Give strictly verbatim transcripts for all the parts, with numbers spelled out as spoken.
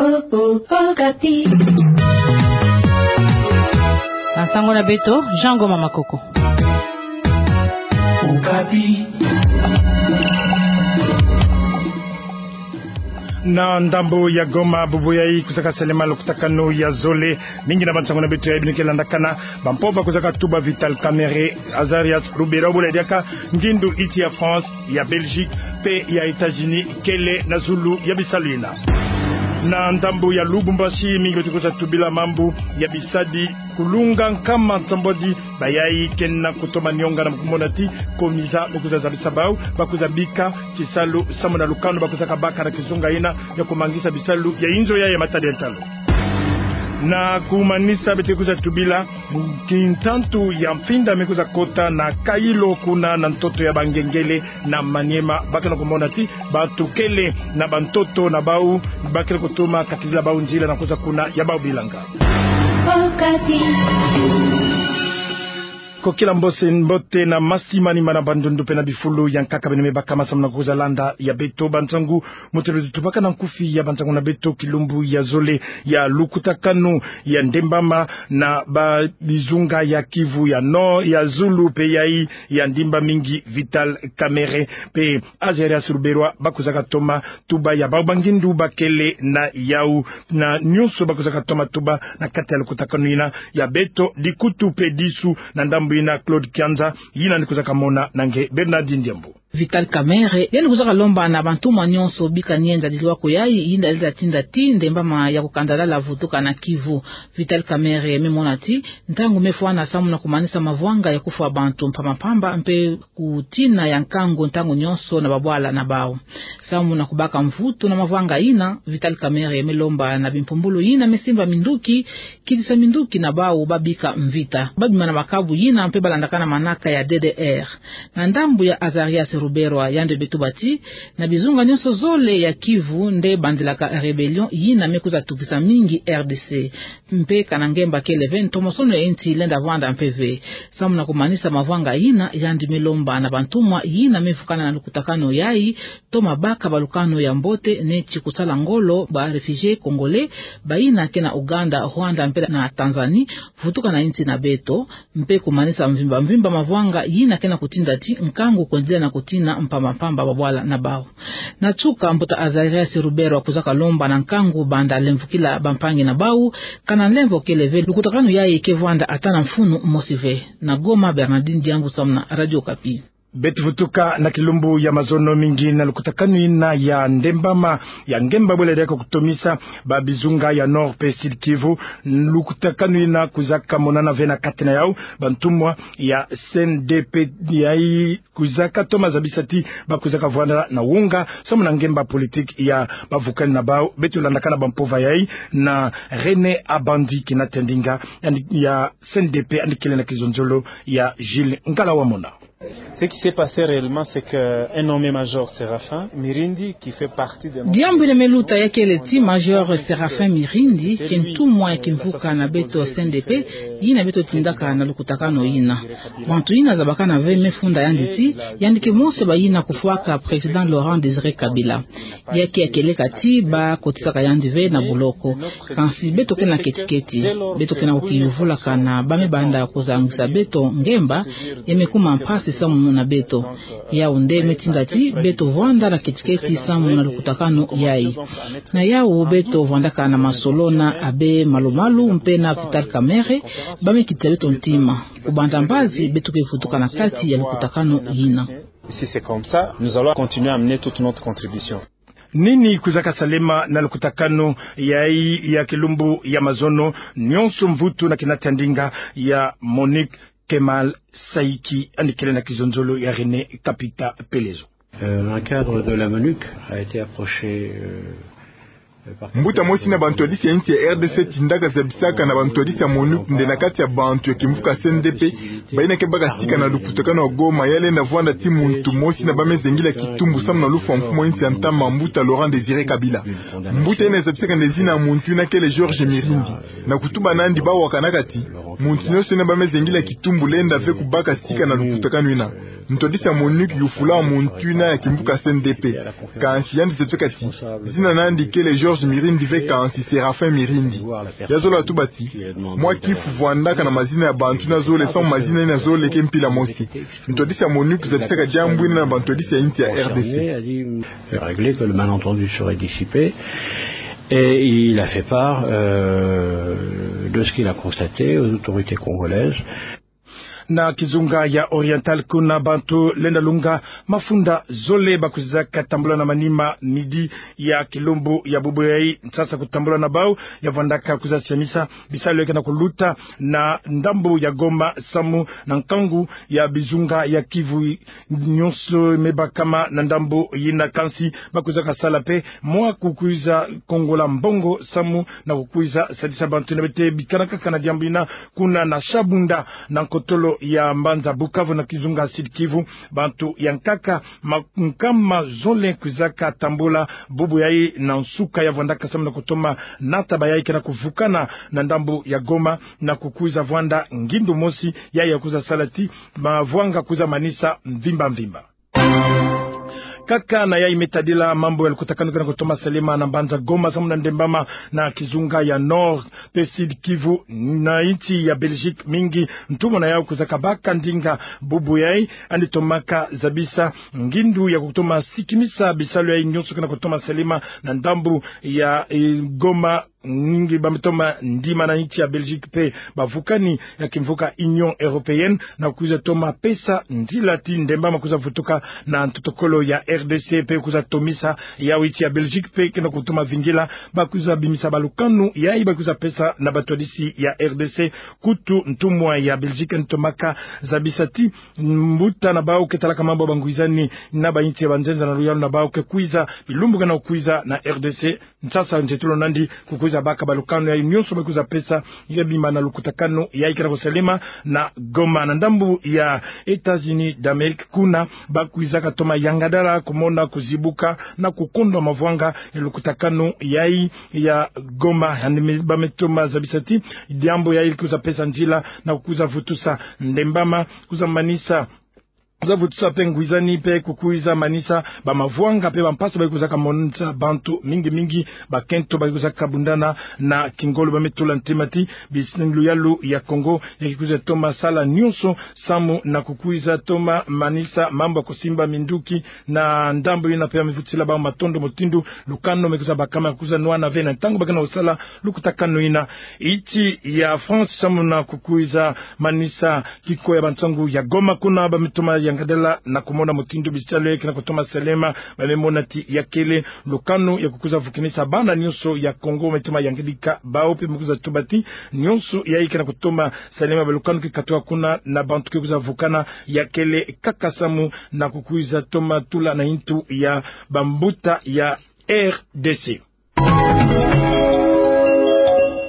Okapi. Na nsangu na beto, Jean Ngoma Makoko. Okapi. Na ndambo ya Goma, bubu yayi kwizaka salema lukutakanu ya zole. Mingi na bansangu na beto yayi bino ke landakana. Bampova kwizaka tuba Vital Kamerhe, Azarias Ruberwa, bole diaka ngindu iti ya France, ya Belgique, mpe ya États-Unis, kele na zulu ya bisalu yina. Na ndambo ya Lubumbashi, mingi beto kwiza tubila mambu ya bisadi kulunga nkama nsambwadi, bayayi ke na kutoma nionga na kumona ti COMISA me kwiza zabisa bau, ba kwiza bika kisalu samu na lukanu ba kwizaka baka na kizunga yina ya kumangisa bisalu ya inzo yayi ya matadi ya ntalu. Na kumanisa beto kwiza tubila kintantu ya mfinda me kwiza kota na Kailo kuna na ntoto ya Bangengele na Maniema, ba ke na kumona ti bato kele na bantoto na bau, ba ke na kutoma kakidila bau nzila na kwiza kuna ya bau bilanga. Kokila mbose mbote na masi manima na bandundu mpe na bifulu ya nkaka beno me baka masamu na kwiza landa ya beto bansangu. Mutelo tubaka na nkufi ya bansangu na beto kilumbu ya zole ya lukutakanu ya ndembama na ba bizunga ya Kivu ya Nord, ya zulu mpe yayi ya ndimba mingi Vital Kamerhe mpe Azarias Ruberwa ba kwizaka toma tuba ya bau bangindu ba kele na yau, na nyonso ba kwizaka toma tuba na kati ya lukutakanu yina ya beto dikutu mpe disu. Na ndambo yina Claude Kianza, yina yandi kwizaka mona na nge Bernardine Diambu. Vital Kamerhe yandi kwizaka lomba na bantumwa nyonso bika nienda diluwa ko yayi, yinda lenda tinda ti ndembama ya kukandalala vutuka na Kivu. Vital Kamerhe me mona ti ntangu me fwana samu na kumanisa mavwanga ya kufwa bantu mpamba mpamba mpe kutina ya nkangu ntangu nyonso na babwala na bau. Samu na kubaka mvutu na mavwanga yina, Vital Kamerhe me lomba na bimpumbulu yina me simba minduki, kidisa minduki na bau ba bika mvita, ba bima na makabu yina mpe ba landakana manaka ya D D R. Na ndambo ya Azarias Ruberwa, yandi me tuba ti na bizunga nyonso zole ya Kivu nde bandilaka rébellion yina me kwiza tukisa mingi R D C. Mpe kana ngemba kele ve ntomosono ya insi lenda vwanda mpe ve. Samu na kumanisa mavwanga yina, yandi me lomba na bantumwa yina me vukana na lukutakanu yayi toma baka balukanu ya mbote neti kusala ngolo ba réfugiés congolais bayina ke na Ouganda, Rwanda mpe na Tanzanie, vutuka na insi na beto, mpe kumanisa mvimba mvimba mavwanga yina ke na kutinda ti nkangu kwendela na kutina mpamba mpamba babwala na bau. Na nsuka, mbuta Azarias Ruberwa kwizaka lomba na nkangu banda lemvokila bampangi na bau, kana nlemvo kele ve lukutakanu yayi ke vwanda ata na mfunu mosi ve. Na Goma, Bernardine Diambu samu na Radio Okapi. Beto vutuka na kilumbu ya mazono, mingi na lukutakanu yina ya ndembama ya ngemba bole diaka kutomisa ba bizunga ya Nord mpe Sud Kivu. Lukutakanu yina kwizaka monana ve na kati na yau bantumwa ya C N D P yayi kwizaka toma zabisa ti ba kwizaka vwanda na wonga samu na ngemba politique ya bavukani na bau. Beto landakana bampova yayi na René Abandi Kinatendinga, yandi ya C N D P, yandi kele na kizonzolo ya Jules Ngala Wamona. Ce qui s'est passé réellement, c'est que un nommé major Séraphin Mirindi, qui fait partie de notre... Diambu yina me luta ya kele ti Major Séraphin Mirindi ke ntumwa ya kimvuka na beto C N D P, yina beto tindaka na lukutakanu yina. Bantu yina zabakana ve me funda yandi ti yandi ke mosi bayina kufwaka Président Laurent Désiré Kabila. Ya ke ya kieleka ti ba kotisaka yandi ve na boloko. Kansi beto ke na ketiketi, beto ke na kukiyuvulakana ba me banda kuzangisa beto ngemba, ya me kuma mpasi samu na beto. Yau nde me tinda ti beto vwanda na ketiketi samu na lukutakanu yayi. Na yau beto vwandaka na masolo na Abbé Malumalu mpe na Vital Kamerhe, ba me kitisa beto ntima. Kubanda mbazi beto ke vutuka na kati ya lukutakanu yina. Si c'est comme ça, nous allons continuer à amener toute notre contribution. Nini kwizaka salema na lukutakanu yayi ya kilumbu ya mazono? Nyonso mvutu na Kinatendinga ya Monique Kemal Saïki, yandi kele na kizonzolo ya René Kapita Pelezo. Euh, un cadre de la MONUC a été approché, euh, Mbuta mosi na bantwadisi ya insi ya R D C tindaka zabisaka na bantwadisi ya MONUC nde na kati ya bantu ya kimvuka C N D P, bayina ke baka sika na lukutakanu wa Goma, ya lenda vwanda ti muntu mosi na ba me zengila kitumbu samu na lufwa mfumu wa insi ya ntama, mbuta Laurent Désiré Kabila. Mbuta yina zabisaka nde zina ya muntu yina kele Georges Mirindi. Na kutuba nandi, ba wakanaka ti muntu nyonso yina ba me zengila kitumbu lenda ve kubaka sika na lukutakanu yina. Ntwadisi ya MONUC yufula muntu yina ya kimvuka C N D P. Kansi yandi zebi kati zina na yandi kele Georges Mirindi ve kansi Séraphin Mirindi. Yazololo tuba ti, mwa kifu vwandaka na mazina ya bantu yina zole, samu mazina yina zole ke mpila mosi. Ntwadisi ya MONUC zabisaka diambu yina na bantwadisi ya insi ya R D C. Régler que le malentendu serait dissipé. Et il a fait part, euh, de ce qu'il a constaté aux autorités congolaises. Na kizunga ya Oriental kuna, bantu lenda lunga mafunda zole bakwizaka tambula na manima midi ya kilumbu ya bubu yayi, nsasa kutambula na bau ya vwandaka kwiza siamisa bisalu ya kena kuluta na ndambu ya Goma samu na nkangu ya bizunga ya Kivu nyonso me bakama na ndambu yina. Kansi bakwizaka sala mpe mwa kukwiza kongola mbongo samu na kukwiza sadisa bantu yina. Beto bikana kaka na diambu yina kuna na Shabunda, na nkotolo ya mbanza Bukavu, na kizunga Sud-Kivu. Bantu ya nkaka ma-, nkama zole kwizaka tambula bubu yayi na nsuka ya vwandaka samu na kutoma nata bayayi kena kuvukana na ndambu ya Goma na kukwiza vwanda ngindu mosi yayi ya kwiza sala ti mavwanga kwiza manisa mvimba mvimba. Kaka na yayi me tadila mambu ya lukutakanu kena kutoma salema na mbanza Goma samu na ndembama na kizunga ya Nord mpe Sud-Kivu, na insi ya Belgique mingi ntumwa na yau kwizaka baka ndinga bubu yayi, yandi tomaka zabisa ngindu ya kutoma sikimisa bisalu yayi nyonso kena kutoma salema na ndambu ya, eh, Goma. Mingi ba me toma ndima na insi ya Belgique mpe bavukani ya kimvuka Union Européenne na kwiza toma pesa nzila ti ndembama kwiza vutuka na ntotokolo ya R D C mpe kwiza tomisa yau. Insi ya Belgique mpe kena kutoma vingila bakwiza bimisa balukanu yayi bakwiza pesa na batwadisi ya R D C. Kutu ntumwa ya Belgique yandi tomaka zabisa ti mbuta na bau ke talaka mambu ya bangwizani na bainsi ya banzenza na luyalu na bau ke kwiza bilumbu kena kukwiza na R D C. Nsasa nzietolo nandi kukwiza baka balukanu yayi nyonso bakwiza pesa ya bima na lukutakanu yayi kena kusalema na Goma. Na ndambu ya États-Unis d'Amérique kuna bakwizaka toma yangadala kumona kuzibuka na kukondwa mavwanga ya lukutakanu yayi ya Goma. Yandi me-, ba me toma zabisa ti diambu yayi kwiza pesa nzila na kwiza vutusa ndembama kwiza manisa kwiza vutusa mpe ngwizani mpe kukwiza manisa bamavwanga mpe bampasi bayikwizaka monisa bantu mingi mingi. Bakento bayikwizaka bundana na kingolo ba me tula ntema ti bisi luyalu ya Congo ya kikwiza toma sala nyonso samu na kukwiza toma manisa mambu ya kusimba minduki na ndambu yina mpe ya me vutisila bau matondo mutindu lukanu me kwiza bakama kwiza nwana ve na ntangu ba kena kusala lukutakanu yina. Insi ya France samu na kukwiza manisa kiko ya bansangu ya Goma kuna ba me toma yangadala na kumona mutindu bisalu yayi kena kutoma salema, ba me mona ti ya kele lukanu ya kukwiza vukinisa bana nyonso ya Congo me toma yangalika bau mpe me kwiza tuba ti nyonso yayi kena kutoma salema balukanu ke katuka kuna na bantu ke kwiza vukana ya kele kaka samu na kukwiza toma tula na intu ya bambuta ya R D C.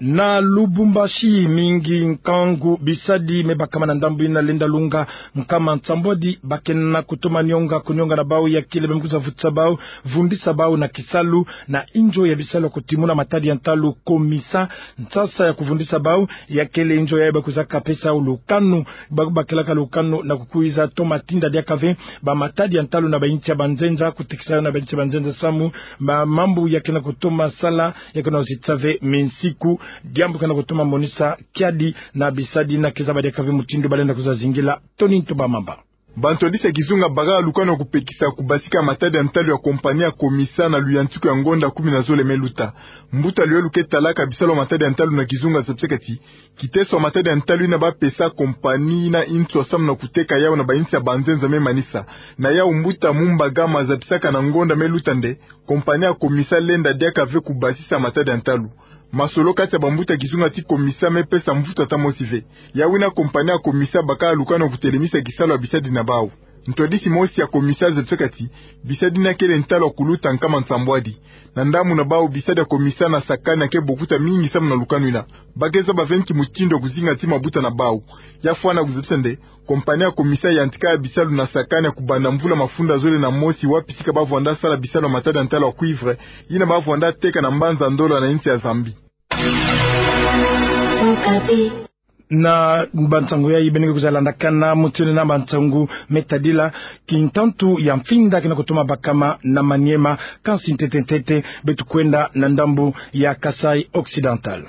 Na Lubumbashi mingi nkangu bisadi me bakama na ndambu yina lenda lunga nkama nsambwadi ba kena kutoma nionga kunionga na bau ya kele ba me kwiza vutisa bau, vundisa bau na kisalu na inzo ya bisalu ya kutimuna matadi ya ntalu, komisa, nsasa ya kuvundisa bau ya kele inzo yayi ba kwizaka pesa lukanu, ba, ba kelaka lukanu na kukwiza toma tinda diaka ve bamatadi ya ntalu na bainsi ya banzenza, kutekisa na bainsi ya banzenza samu ma-, mambu ya kena kutoma sala ya kena kusitisa ve minsiku, diambu kena kutoma monisa kiadi na bisadi na ke zaba diaka ve mutindu ba lenda kwiza zingila. Tony Ntumba Mamba. Bantwadisi ya kizunga bakaka lukanu ya kupekisa kubasika matadi ya ntalu ya compagnie ya Comisa na luyantiku ya ngonda kumi na zole me luta. Mbuta luyalu ke talaka bisalu ya matadi ya ntalu na kizunga zabisaka ti kiteso ya matadi ya ntalu yina ba pesa compagnie yina nswa samu na kuteka yau na bainsi ya banzenza me manisa. Na yau mbuta Mumba Gama zabisaka na ngonda me luta nde compagnie ya Comisa lenda diaka ve kubasisa matadi ya ntalu. Masolo kati ya bambuta kizunga ti Comisa me pesa mvutu ata mosi ve. Yau yina compagnie ya Comisa bakaka lukanu ya kutelemisa kisalu ya bisadi na bau. Ntwadisi mosi ya Comisa zabisaka ti bisadi yina kele ntalu ya kuluta nkama nsambwadi. Na ndambu na bau bisadi ya Comisa na Sakania ke bokuta mingi samu na lukanu yina. Ba ke zaba ve nki mutindu ya kuzinga ti mabuta na bau. Ya fwana kuzabisa nde compagnie ya Comisa yantika bisalu na Sakania kubanda mvula mafunda zole na mosi, wapi sika ba vwanda sala bisalu ya matadi ya ntalu ya cuivre yina ba vwanda teka na mbanza Ndola na insi ya Zambie. Na bansangu yai beno ke kwiza landakana mutindu na bansangu me tadila kintantu ya mfinda ke na kutoma bakama na Maniema, kansi ntete ntete beto kwenda na ndambu ya Kasaï Occidental.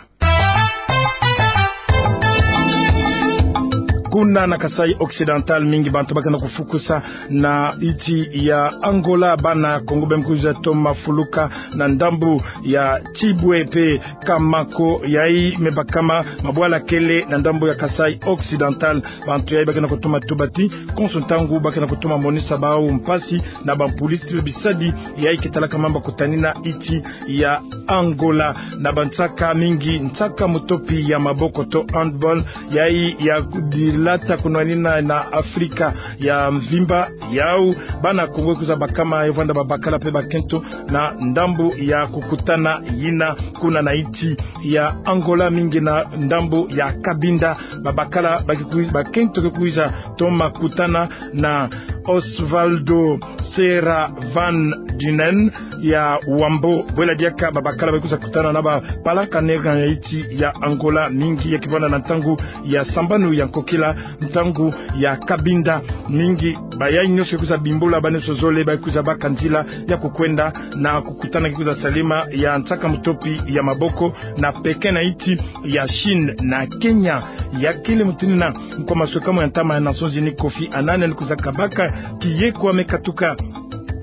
Kuna na Kasaï Occidental, mingi bantu ba ke na kufukusa na insi ya Angola, bana Kongo beno kwiza toma fuluka na ndambu ya Tchiboué pe Kamako, yai me bakama mabwala kele na ndambu ya Kasaï Occidental. Bantu yai ba ke na kutoma tuba ti konso ntangu ba ke na kutoma monisa bau mpasi na bampulisiti pe bisadi yai ke talaka mambu ya kutanina insi ya Angola. Na bansaka mingi, nsaka mutopi ya maboko to handball, yai ya dilata kunwanina na Afrika ya mvimba, yau bana Kongo kwiza bakama, yo vwanda babakala pe bakento na ndambu ya kukutana yina kuna na insi ya Angola, mingi na ndambu ya Cabinda. Babakala ba ke kwi-, bakento ke kwiza toma kutana na Osvaldo Serra van Dunen ya Wambo. Bwela diaka babakala ba kwiza kutana na bapalaka nega ya insi ya Angola, mingi ya ke vwanda na ntangu ya sambanu ya nkokila, ntangu ya Cabinda. Mingi bayai nyonso ke kwiza bimbula, bana nyonso zole ba ke kwiza baka nzila ya kukwenda na kukutana ke kwiza salama ya nsaka mutopi ya maboko na Pékin na insi ya Chine. Na Kenya, ya kele mutindu na nkwa maswekamu ya ntama ya Nations Unies Kofi Annan yandi kwiza kabaka kiyekwa me katuka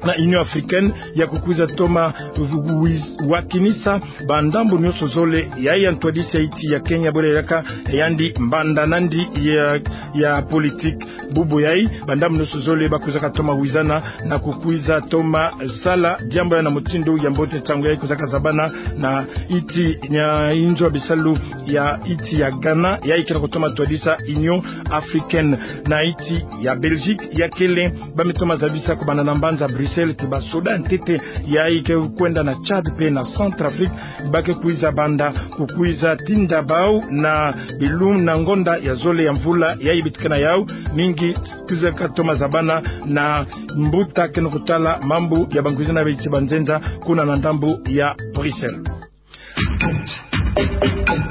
na Union Africaine ya kukwiza toma wiz-, wakinisa bandambu nyonso zole yai ya ntwadisi ya insi ya Kenya, bwela diaka yandi mbanda nandi ya, ya politique. Bubu yai bandambu nyonso zole ba kwizaka toma wizana na kukwiza toma sala diambu yai na mutindu ya mbote. Nsangu yai kwizaka zabana na insi ya inzo ya bisalu ya insi ya Ghana, yai ke na kutoma twadisa Union Africaine. Na insi ya Belgique, ya kele ba me toma zabisa kubanda na mbanza Bruxelles ti basoda ntete yai ke kwenda na Tchad pe na Centrafrique, ba ke kwiza banda kukwiza tinda bau na bilumbu na ngonda ya zole ya mvula yai beto ke na yau. Mingi kwizaka toma zabana na mbuta ke na kutala mambu ya bangwiza na beti banzenza kuna na ndambu ya Bruxelles.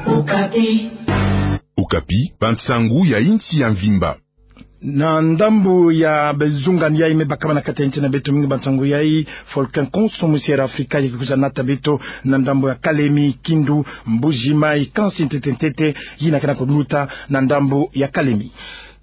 Okapi. Okapi, bansangu ya insi ya mvimba. Na ndambu ya bazungani yai me bakama na kati ya insi na beto, mingi bansangu yai Volcan Konso Musier Afrika ya ke kwiza nata beto na ndambu ya Kalemi, Kindu, Mbuji Mayi, kansi ntete ntete yina ke na kuluta na ndambu ya Kalemi.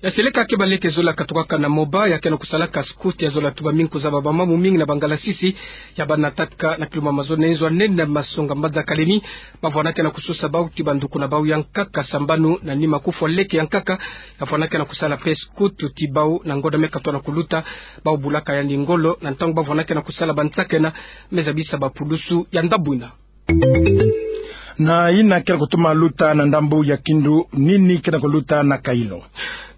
Ya seleka ke baleke zola katukaka na Moba, ya ke na kusalaka scout ya zola tuba mingi kuzaba bamamu mingi na bangalasisi ya ba nataka na kilumbu mazono nzo nene na masonga mbanza Kalemi. Ba vwanakena kusosa bau ti banduku na bau ya nkaka sambanu na nima kufwa leke ya nkaka. Ya vwanakena kusala pe scout ti bau na ngonda me katoa na kuluta, bau bulaka yandi ngolo na ntangu ba vwanakena kusala bansakena me zabisa bapulusu ya ndambu yina. Na yina ke na kutoma luta na ndambu ya Kindu, nini ke na kuluta na Kailo?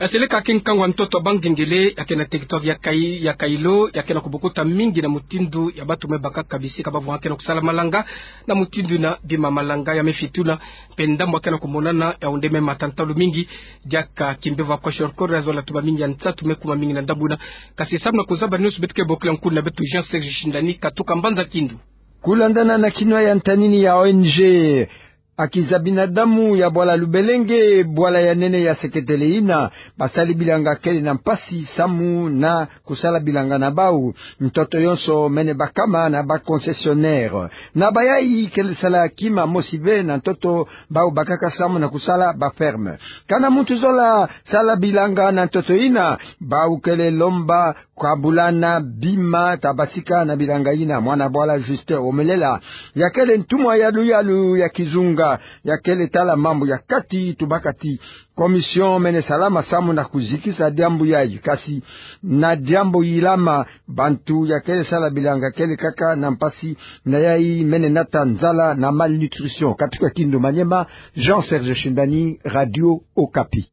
Ya seleka ke nkangu ya ntoto ya bangengele ya ke na territoire ya Kai-, ya Kailo, ya ke na kubukuta mingi na mutindu ya bantu me bakaka bisika ba vwanakena kusala malanga, na mutindu yina bima malanga ya me fituna, mpe ndambu ya ke na kumonana ya onde me matantalu mingi, diaka kimbevo ya koshorokoro ya zola tuba mingi ya nsatu me kuma mingi na ndambu yina. Kasi samu na kuzaba nyonso beto ke bokila nkuna beto Jean Serge Shindani katuka mbanza Kindu. Kulandana na kinwa ya ntanini ya O N G Akiza Binadamu ya bwala Lubelenge, bwala ya nene ya seketele yina, basali bilanga kele na mpasi samu na kusala bilanga na bau. Ntoto yonso mene bakama na ba concessionnaire. Na bayai kele sala kima mosi ve na ntoto, bau bakaka samu na kusala ba ferme. Kana muntu zola sala bilanga na ntoto yina, bau kele lomba kabulana bima ta basika na bilanga yina. Mwana bwala Justin Omelela, ya kele ntumwa ya luyalu ya kizunga ya kele tala mambu ya kati, tubaka ti commission mene salama samu na kuzikisa diambu yayi. Kasi na diambu yilama, bantu ya kele sala bilanga kele kaka na mpasi, na yayi mene nata nzala na malnutrition. Katuka Kindu Maniema, Jean Serge Shindani, Radio Okapi.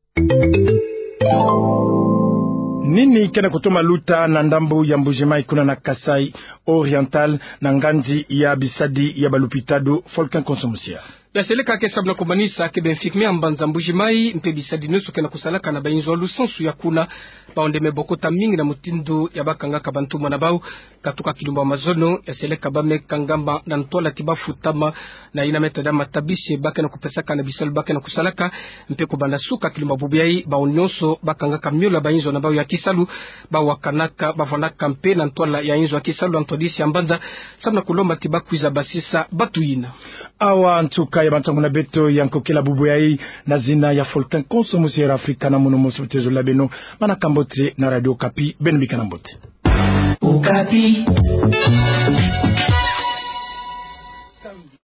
Nini ke na kutoma luta na ndambu ya Mbuji-Mayi kuna na Kasaï Oriental na nganzi ya bisadi ya balupitadu, Volcan Konso Musier? Ya seleka ke sabu na kumanisa ke bemfik me ambanza Mbuji Mayi mpe bisadi nionso ke na kusalaka na bainzo ya lusansu ya kuna, baonde me bokota mingi na mutindu ya bakangaka bantumwa na bau. Katuka kilumbu ya mazono, ya seleka ba me kangama na ntwala ti bafutama na ina me tada matabisi ba ke na kupesaka na bisalu ba ke na kusalaka. Mpe kubanda suka kilumbu ya bubu yayi, bawu nionso bakangaka miolo ya bainzo na bau ya kisalu, bawakanaka, bavwanaka mpe na ntwala ya inzo ya kisalu ya ntwadisi ya mbanza, samu na kulomba ti bakwiza basisa batu yina. Awa nsuka ya bantangu na beto ya nkokela bubu yayi, na zina ya Faultin Konso, mosi Air Afrika, na mono mosi butezo la beno, manaka mbote na Radio Okapi, beno bika na mbote. Okapi.